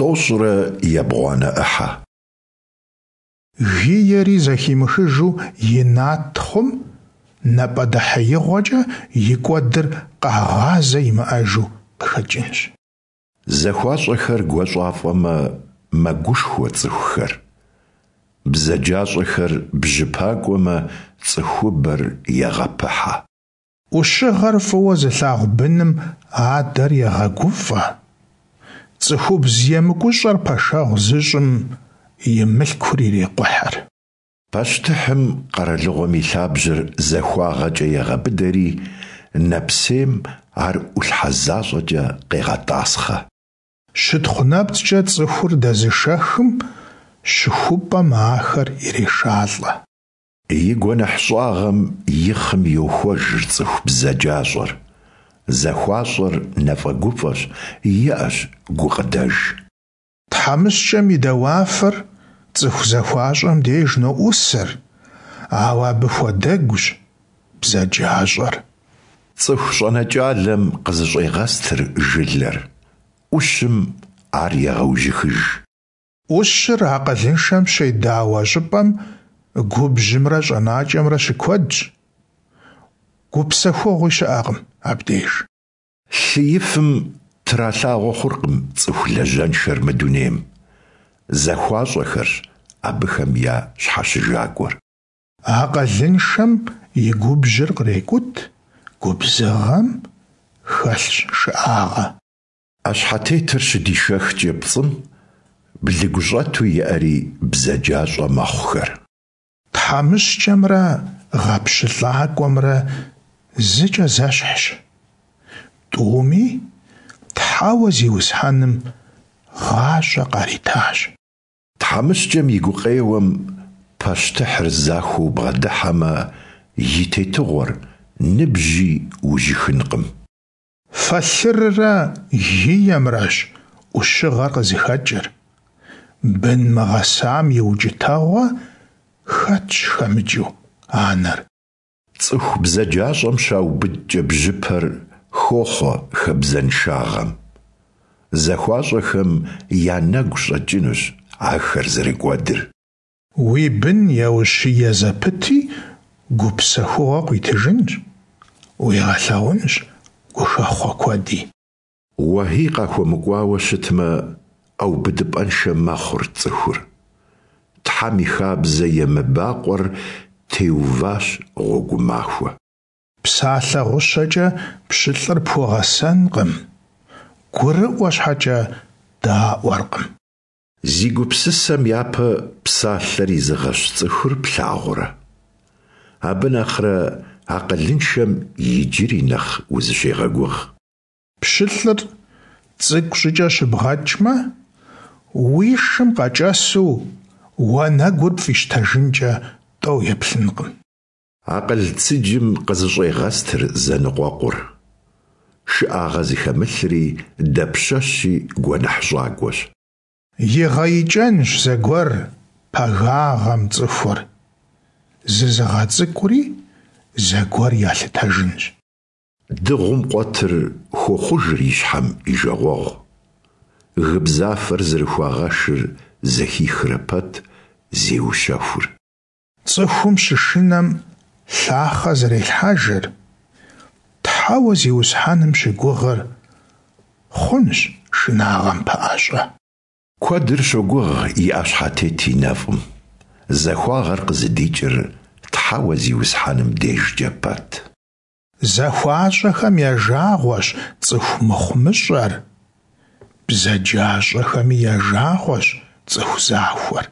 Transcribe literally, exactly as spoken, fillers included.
Тӏощӏрэ ебгъуанэ ӏыхьэ. Гиери зэхимыхыжу инат хъум напӀэдэхьеигъуэкӀэ и кӀуэдыр къэгъазэ имыӀэжу къыхэкӀынщ. ЗахуащӀэхэр гуащӀафӀэмэ, мэгушхуэ цӀыхухэр, бзаджащӀэхэр бжьыпакӀуэмэ, цӀыхубэр егъэпыхьэ. Ӏущыгъэр фӀыуэ зылъагъу быным адэр егъэгуфӀэ, цӀыхубз емыкӀущӀэр пэшэгъу зыщӀым и мылъкур ирекъухьыр. Пащтыхьым къэралыгъуэм и лъабжьэр захуагъэкӀэ егъэбыдэри, нэпсейм ар Ӏулъхьэ защӀэкӀэ къегъэтӀасхъэ. Щытхъу нэпцӀкӀэ цӀыхур дэзышэхым щыхупӀэм ахэр ирешалӀэ. И гуэныхьщӀагъэм и хъым йохуэж цӀыху бзаджащӀэр, захуащӀэр нэфӀэгуфӀэщ, иӀэщ гукъыдэж. ТхьэмыщкӀэм и дауафэр цӀыху захуащӀэм деж ноӀусыр, ауэ абы хуэдэгущ бзаджащӀэр. ЦӀыху щӀэнэкӀалэм къызэщӀегъэстыр жылэр, Ӏущым ар егъэужьыхыж. Ӏущыр акъылыншэм щедауэ щӀыпӀэм губжьымрэ щӀэнакӀэмрэ щыкуэдщ, гупсэхугъуи щыӀэкъым абдеж. Лъыифым тралъагъуэ хъуркъым цӀыху лажьэншэр мы дунейм, захуащӀэхэрщ абыхэм я щхьэщыжакӀуэр. Акъылыншэм и губжьыр кърекӀут, губзыгъэм хэлъщ шыӀагъэ. Ӏэщхьэтетыр щыдишэхкӀэ пцӀым, блыгущӀэту иӀэри бзаджащӀэ мэхъухэр. ТхьэмыщкӀэмрэ гъэпщылӀакӀуэмрэ зыкӀэ зэщхьщ: тӀуми Тхьэуэ Зиусхьэным гъащӀэ къаритащ. ТхьэмыщкӀэм и гукъеуэм пащтыхьыр захуэу бгъэдыхьэмэ, и тетыгъуэр ныбжьи ужьыхынкъым. Фэлъыррэ гиемрэщ Ӏущыгъэр къызыхэкӀыр, бын мыгъэсам и укӀытэгъуэ хэтщ хэмыкӀыу анэр. ЦӀыху бзаджащӀэм щаубыдкӀэ бжьыпэр, хохъуэ хабзэншагъэм. ЗахуащӀэхэм я нэгу щӀэкӀынущ ахэр зэрыкӀуэдыр. Уи бын еущие зэпыти, гупсэхугъуэ къуитыжынщ, уигъэлъагъунщ гухэхъуэ куэди. Уэхьий къахуэмыкӀуауэ щытмэ, ӀэубыдыпӀэншэ мэхъур цӀыхур. Тхьэм и хабзэ емыбакъуэр теуващ гъуэгу махуэ. Псалъэ гъущэкӀэ пщылӀыр пхуэгъэсэнкъым, гурыӀуэ щхьэкӀэ даӀуэркъым. Зи гупсысэм япэ псалъэр изыгъэщ цӀыхур плъагъурэ? Абы нэхърэ акъылыншэм иджыри нэхъ узыщегъэгугъ. ПщылӀыр цӀыкӀу щӀыкӀэ щыбгъэкӀмэ, уи шым къэкӀэсу уанэгур пфӀищтэжынкӀэ тӀэу еплъынкъым. Акъыл цыджым къызэщӀегъэстыр зэныкъуэкъур, шыӀагъэ зыхэмылъри дапщэщи гуэныхьщӀакӀуэщ. ИгъэикӀэнщ зэгуэр пагагъэм цӀыхур, зызыгъэцӀыкӀури зэгуэр ялъытэжынщ. Дыгъум къуэтыр хуохъужыр и щхьэм и жагъуэгъу, гыбзафэр зэрыхуагъэшыр зэхихрэ пэт, зеущэхур. ЦӀыхум щышынэм лъахъэ зрелъхьэжыр, Тхьэуэ Зиусхьэным щыгугъыр хъунщ шынагъэм пэӀэщӀэ. Куэдыр щогугъ и Ӏэщхьэтет и нэфӀым, захуагъэр къызыдикӀыр Тхьэуэ Зиусхьэным дежкӀэ пэт. ЗахуащӀэхэм я жагъуэщ цӀыху мыхъумыщӀэр, бзаджащӀэхэми я жагъуэщ цӀыху захуэр.